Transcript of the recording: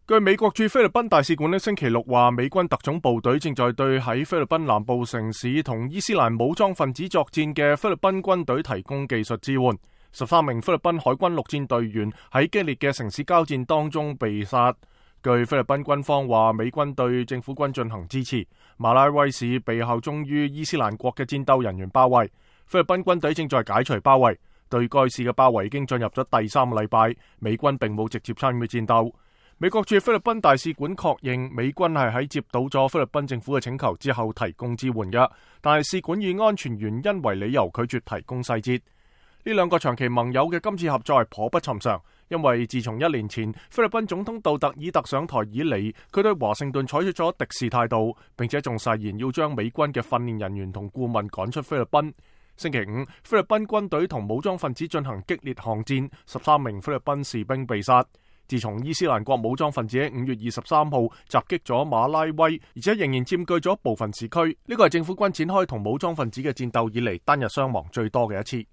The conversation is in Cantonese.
據美國駐菲律賓大使館星期六話，美軍特種部隊正在對喺菲律賓南部城市同伊斯蘭武裝分子作戰嘅菲律賓軍隊提供技術支援。13名菲律賓海軍陸戰隊員喺激烈嘅城市交戰當中被殺。據菲律賓軍方話，美軍對政府軍進行支持。馬拉威市被效忠於伊斯蘭國嘅戰鬥人員包圍，菲律賓軍隊正在解除包圍。對該市嘅包圍已經進入咗第3個禮拜，美軍並冇直接參與戰鬥。美國駐菲律賓大使館確認，美軍係喺接到咗菲律賓政府嘅請求之後提供支援嘅，但係使館以安全原因為理由拒絕提供細節。呢兩個長期盟友嘅今次合作係頗不尋常，因為自從1年前菲律賓總統杜特爾特上台以嚟，佢對華盛頓採取咗敵視態度，並且仲誓言要將美軍嘅訓練人員同顧問趕出菲律賓。星期五，菲律賓軍隊同武裝分子進行激烈巷戰，13名菲律賓士兵被殺。自從伊斯蘭國武裝分子喺5月23號襲擊咗馬拉威，而且仍然佔據咗部分市區，呢個係政府軍展開同武裝分子嘅戰鬥以嚟單日傷亡最多嘅一次。